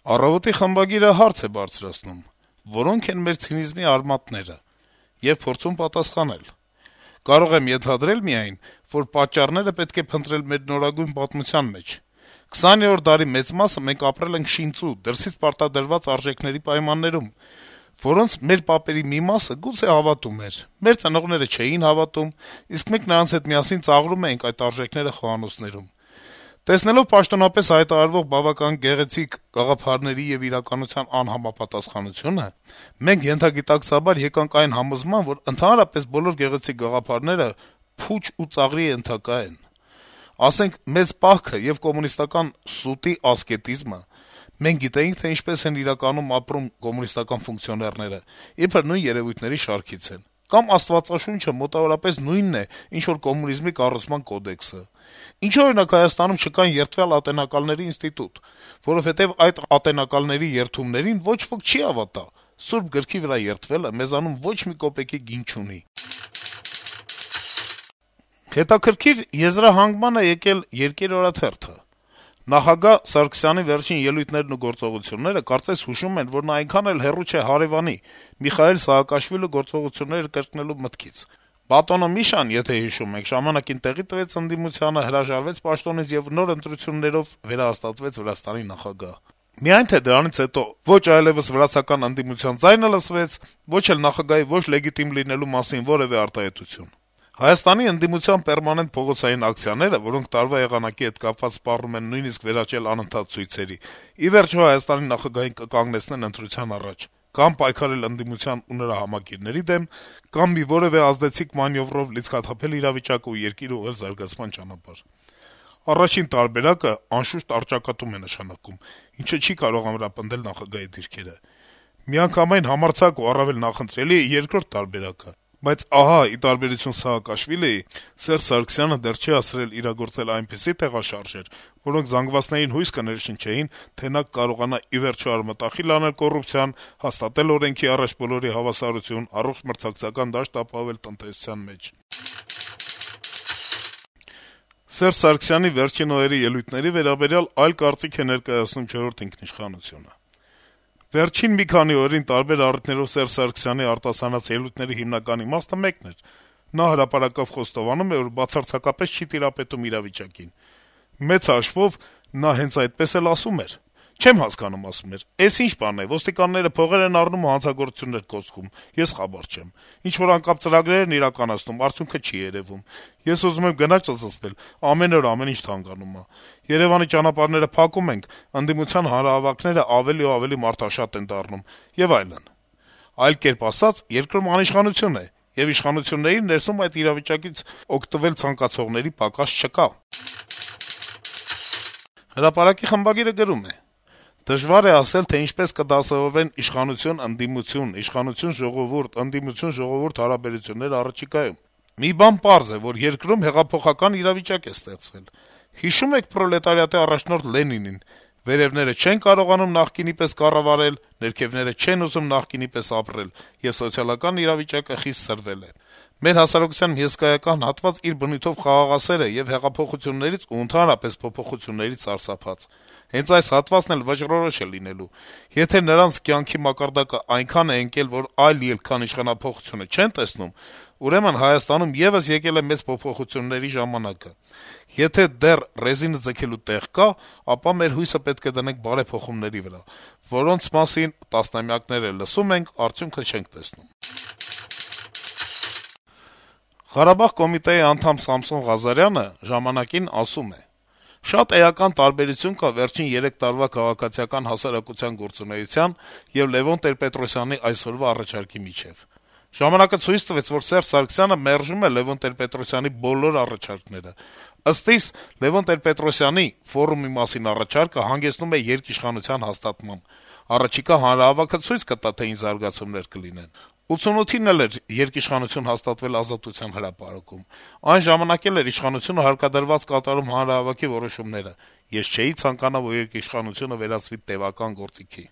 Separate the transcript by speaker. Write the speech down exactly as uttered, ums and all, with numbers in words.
Speaker 1: Առավոտի խմբագիրը հարց է բարձրացնում. որո՞նք են մեր ցինիզմի արմատները, եւ փորձում պատասխանել. կարող եմ ենթադրել միայն, որ պատճառները պետք է փնտրել մեր նորագույն պատմության մեջ: քսաներորդ դարի մեծ մասը մենք ապրել ենք շինծու, դրսից պարտադրված արժեքների պայմաններում, որոնց մեր պապերի մի մասը գուցե հավատում էր, մեր ծնողները չէին հավատում, իսկ մենք նրանց հետ միասին ծաղրում էինք այդ արժեքները խոհանոցներում: Տեսնելով պաշտոնապես հայտարարվող բավական գեղեցիկ գաղափարների եւ իրականության անհամապատասխանությունը, մենք ենթագիտակցաբար եկանք այն համոզման, որ ընդհանրապես բոլոր գեղեցիկ գաղափարները փուչ ու ծաղրի ենթակա են: Ասենք, մեծ պահքը եւ կոմունիստական սուտի ասկետիզմը, մենք գիտեինք, թե ինչպես են իրականում ապրում կոմունիստական ֆունկցիոներները, իբր նույն երեւույթների շարքից են: Կամ Աստվածաշունչը մոտավորապես նույնն է, ինչ որ կոմունիզմի կառուցման կոդեքսը: Ինչո՞ւ, օրինակ, Հայաստանում չկան երդվյալ ատենակալների ինստիտուտ: Որովհետեւ այդ ատենակալների երդումներին ոչ ոք չի հավատա: Սուրբ գրքի վրա երդվելը մեզանում ոչ մի կոպեկի գին չունի»: Հետաքրքիր եզրահանգման է եկել «Երկիր» օրաթերթը. - «Նախագահ Սարգսյանի վերջին ելույթներն ու գործողությունները կարծես հուշում են, որ նա այնքան էլ հեռու չէ հարեւանի` Միխայիլ Սաակաշվիլու գործողությունները կրկնելու մտքից: Բատոնո Միշան, եթե հիշում եք, ժամանակին տեղի տվեց ընդդիմությանը, հրաժարվեց պաշտոնից եւ նոր ընտրություններով վերահաստատվեց Վրաստանի նախագահ: Միայն թե դրանից հետո ոչ այլեւս վրացական ընդդիմության ձայնը լսվեց, ոչ էլ նախագահի ոչ լեգիտիմ լինելու մասին որեւէ արտահայտություն: Հայաստանի ընդդիմության պերմանենտ փողոցային ակցիաները, որոնք տարվա եղանակի հետ կապված սպառնում են նույնիսկ վերաճել անընդհատ ցույցերի, ի վերջո Հայաստանի նախագահին կկանգնեցնեն ընտրության առաջ, կամ պայքարել ընդդիմության ու նրա համակիրների դեմ, կամ մի որեւէ ազդեցիկ մանեւրով լիցքաթափել իրավիճակը ու երկիրը ուղղել զարգացման ճանապարհ: Առաջին տարբերակը, անշուշտ, առճակատում է նշանակում, ինչը չի կարող ամրապնդել նախագահի դիրքերը: Միանգամայն համարձակ ու առավել նախընտրելի է երկրորդ տարբերակը: Բայց ահա, ի տարբերություն Սաակաշվիլիի, Սերժ Սարգսյանը դեռ չի հասցրել իրագործել այնպիսի տեղաշարժեր, որոնք զանգվածներին հույս կներշնչեին, թե նա կկարողանա ի վերջո արմատախիլ անել կոռուպցիան, հաստատել օրենքի առաջ բոլորի հավասարություն, առողջ մրցակցական դաշտ ապահովել տնտեսության մեջ»: Սերժ Սարգսյանի վերջին օրերի ելույթների վերաբերյալ այլ կարծիք է ներկայացնում «Չորրորդ ինքնիշխանություն»-ը. - «Վերջին մի քանի օրերին տարբեր առիթներով Սերժ Սարգսյանի արտասանած ելույթների հիմնական իմաստը մեկն էր. նա հրապարակավ խոստովանում է, որ բացարձակապես չի տիրապետում իրավիճակին: Մեծ հաշվով նա հենց այդպես էլ ասում էր: Չեմ հասկանում, ասում էր, էս ինչ բան է, ոստիկանները փողեր են առնում ու հանցագործություններ կոծում, ես խաբար չեմ: Ինչ-որ անկապ ծրագրեր են իրականացնում, արդյունքը չի երեւում: Ես ուզում եմ գնալ ճզմզվել, ամեն օր ամեն ինչ թանկանում ա: Երեւանի ճանապարհները փակում ենք, ընդդիմության հանրահավաքներն ավելի ու ավելի մարդաշատ են դառնում եւ այլն: Այլ կերպ ասած, երկրում անիշխանություն է, եւ իշխանությունների ներսում այդ իրավիճակից օգտվել ցանկացողների պակաս չկա»: «Հրապարակ»-ի խմբագիրը գրում է. - «Դժվար է ասել, թե ինչպես կդասավորվեն իշխանություն-ընդդիմություն, իշխանություն-ժողովուրդ, ընդդիմություն-ժողովուրդ հարաբերությունները առաջիկայում: Մի բան պարզ է, որ երկրում հեղափոխական իրավիճակ է ստեղծվել: Հիշո՞ւմ եք պրոլետարիատի առաջնորդ Լենինին. «Վերեւները չեն կարողանում նախկինի պես կառավարել, ներքեւները չեն ուզում նախկինի պես ապրել, եւ սոցիալական իրավիճակը խիստ սրվել է»: Մեր հասարակության մի հսկայական հատված իր բնույթով խաղաղասեր է եւ հեղափոխություններից ու ընդհանրապես փոփոխություններից սարսափած: Հենց այս հատվածն էլ վճռորոշ է լինելու: Եթե նրանց կյանքի մակարդակը այնքան է ընկել, որ այլ ելք, քան իշխանափոխությունը չեն տեսնում, ուրեմն Հայաստանում եւս եկել է մեծ փոփոխությունների ժամանակը: Եթե դեռ ռեզինը ձգելու տեղ կա, ապա մեր հույսը պետք է դնենք բարեփոխումների վրա, որոնց մասին տասնամյակներ է լսում ենք, արդյունքը չենք տեսնում»: Ղարաբաղ կոմիտեի անդամ Սամսոն Ղազարյանը «Ժամանակ»-ին ասում է. - «Շատ էական տարբերություն կա վերջին երեք տարվա քաղաքացիական հասարակության գործունեության եւ Լեւոն Տեր-Պետրոսյանի այսօրվա առաջարկի միջեւ: «Ժամանակ»-ը ցույց տվեց, որ Սերժ Սարգսյանը մերժում է Լեւոն Տեր-Պետրոսյանի բոլոր առաջարկները: Ըստ իս, Լեւոն Տեր-Պետրոսյանի «Ֆորումի» մասին առաջարկը հանգեցնում է երկիշխանության հաստատման: Առաջիկա հանրահավաքը ցույց կտա, թե ինչ զարգացումներ կլինեն: ութսունութին էլ էր երկիշխանություն հաստատվել Ազատության հրապարակում: Այն ժամանակ էլ էր իշխանությունը հարկադրված կատարում հանրահավաքի որոշումները: Ես չէի ցանկանա, որ երկիշխանությունը վերածվի տեւական գործիքի»: